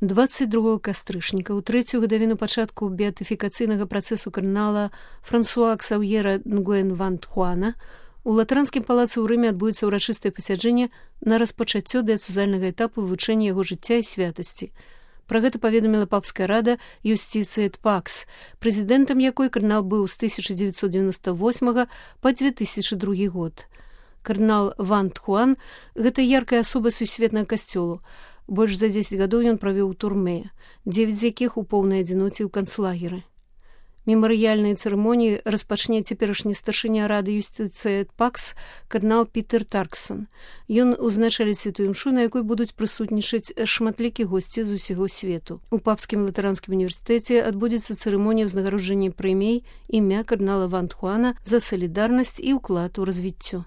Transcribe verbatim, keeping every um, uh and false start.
дваццаць другога кастрычніка, у трэцюю гадавіну пачатку беатыфікацыйнага працэсу кардынала Франсуа Ксаўера Нгуэн ван Тхуана, у Латаранскім палацы ў Рыме адбудзецца ўрачыстае пасяджэнне на распачаццё дыяцэзальнага этапу вывучэння яго жыцця і святасці. Пра гэта паведаміла папская рада Юстиция эт Пакс, прэзідэнтам якой кардынал быў з тысяча дзевяцьсот дзевяноста восьмага па дзве тысячы другі год. Кардынал Ван Тхуан – гэта яркая асоба сусветнага касцёлу. Больш за дзесяць гадоў ён правёў у турме, дзевяць з якіх у поўнай адзіноце ў канцлагеры. Мемарыяльныя цырымоніі распачне цяперашні старшыня рады Юстиция эт Пакс кардынал Пітер Тарксон. Ён узначаліць святую імшу, на якой будуць прысутнічаць шматлікія госці з усяго свету. У папскім латаранскім універсітэце адбудзецца цырымонія ўзнагароджання прэмій імя кардынала Ван Тхуана за салідарнасць і ўклад у развіццё.